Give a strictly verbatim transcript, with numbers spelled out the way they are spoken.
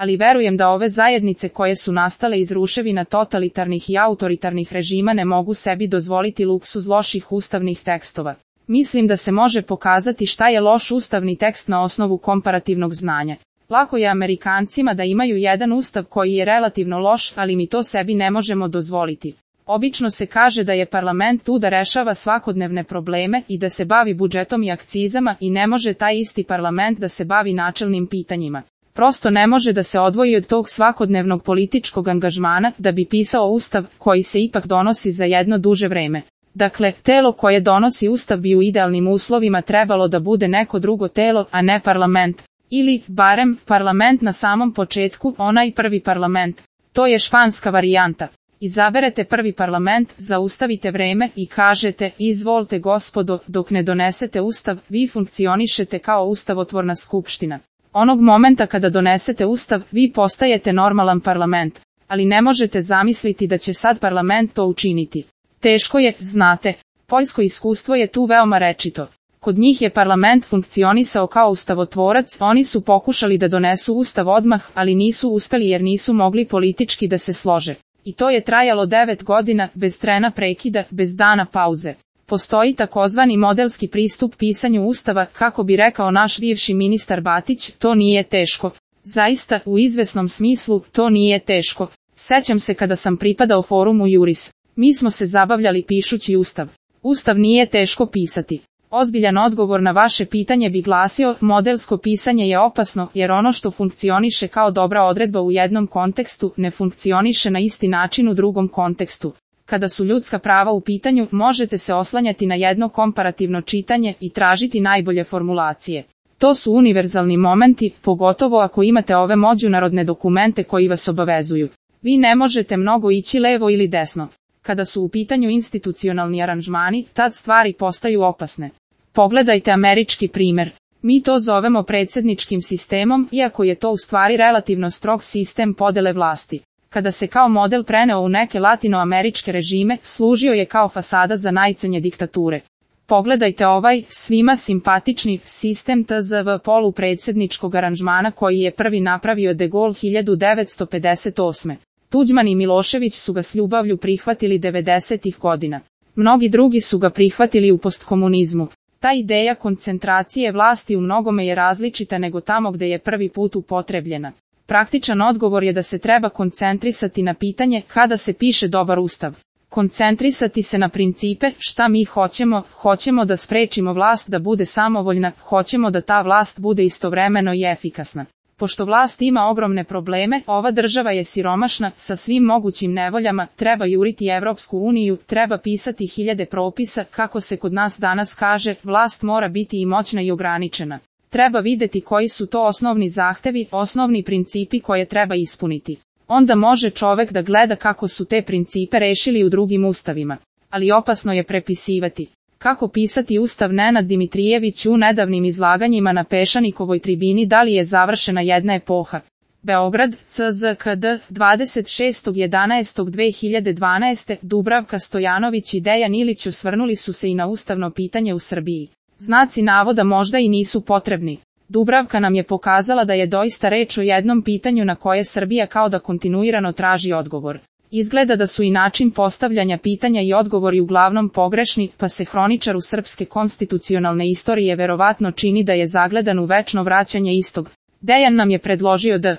ali verujem da ove zajednice koje su nastale iz ruševina totalitarnih i autoritarnih režima ne mogu sebi dozvoliti luksuz loših ustavnih tekstova. Mislim da se može pokazati šta je loš ustavni tekst na osnovu komparativnog znanja. Lako je Amerikancima da imaju jedan ustav koji je relativno loš, ali mi to sebi ne možemo dozvoliti. Obično se kaže da je parlament tu da rešava svakodnevne probleme i da se bavi budžetom i akcizama i ne može taj isti parlament da se bavi načelnim pitanjima. Prosto ne može da se odvoji od tog svakodnevnog političkog angažmana da bi pisao ustav koji se ipak donosi za jedno duže vreme. Dakle, telo koje donosi ustav bi u idealnim uslovima trebalo da bude neko drugo telo, a ne parlament. Ili, barem, parlament na samom početku, onaj prvi parlament. To je španska varijanta. Izaberete prvi parlament, zaustavite vreme i kažete, izvolite gospodo, dok ne donesete ustav, vi funkcionišete kao ustavotvorna skupština. Onog momenta kada donesete ustav, vi postajete normalan parlament, ali ne možete zamisliti da će sad parlament to učiniti. Teško je, znate, poljsko iskustvo je tu veoma rečito. Kod njih je parlament funkcionisao kao ustavotvorac, oni su pokušali da donesu ustav odmah, ali nisu uspeli jer nisu mogli politički da se slože. I to je trajalo devet godina, bez trena prekida, bez dana pauze. Postoji takozvani modelski pristup pisanju ustava, kako bi rekao naš bivši ministar Batić, to nije teško. Zaista, u izvesnom smislu, to nije teško. Sećam se kada sam pripadao forumu Juris. Mi smo se zabavljali pišući ustav. Ustav nije teško pisati. Ozbiljan odgovor na vaše pitanje bi glasio, modelsko pisanje je opasno, jer ono što funkcioniše kao dobra odredba u jednom kontekstu, ne funkcioniše na isti način u drugom kontekstu. Kada su ljudska prava u pitanju, možete se oslanjati na jedno komparativno čitanje i tražiti najbolje formulacije. To su univerzalni momenti, pogotovo ako imate ove međunarodne dokumente koji vas obavezuju. Vi ne možete mnogo ići levo ili desno. Kada su u pitanju institucionalni aranžmani, tad stvari postaju opasne. Pogledajte američki primer. Mi to zovemo predsjedničkim sistemom, iako je to u stvari relativno strog sistem podele vlasti. Kada se kao model preneo u neke latinoameričke režime, služio je kao fasada za najcrnje diktature. Pogledajte ovaj, svima simpatični, sistem T Z V polupredsjedničkog aranžmana koji je prvi napravio de Gaulle hiljadu devetsto pedeset osme. Tuđman i Milošević su ga s ljubavlju prihvatili devedesetih godina. Mnogi drugi su ga prihvatili u postkomunizmu. Ta ideja koncentracije vlasti u mnogome je različita nego tamo gde je prvi put upotrebljena. Praktičan odgovor je da se treba koncentrisati na pitanje kada se piše dobar ustav. Koncentrisati se na principe, šta mi hoćemo, hoćemo da sprečimo vlast da bude samovoljna, hoćemo da ta vlast bude istovremeno i efikasna. Pošto vlast ima ogromne probleme, ova država je siromašna, sa svim mogućim nevoljama, treba juriti Evropsku uniju, treba pisati hiljade propisa, kako se kod nas danas kaže, vlast mora biti i moćna i ograničena. Treba videti koji su to osnovni zahtevi, osnovni principi koje treba ispuniti. Onda može čovek da gleda kako su te principe rešili u drugim ustavima. Ali opasno je prepisivati. Kako pisati ustav? Nenad Dimitrijević u nedavnim izlaganjima na Pešanikovoj tribini Da li je završena jedna epoha? Beograd, C Z K D, dvadeset šestog jedanaestog dve hiljade dvanaeste. Dubravka Stojanović i Dejan Ilić osvrnuli su se i na ustavno pitanje u Srbiji. Znaci navoda možda i nisu potrebni. Dubravka nam je pokazala da je doista reč o jednom pitanju na koje Srbija kao da kontinuirano traži odgovor. Izgleda da su i način postavljanja pitanja i odgovori uglavnom pogrešni, pa se hroničaru srpske konstitucionalne istorije verovatno čini da je zagledan u večno vraćanje istog. Dejan nam je predložio da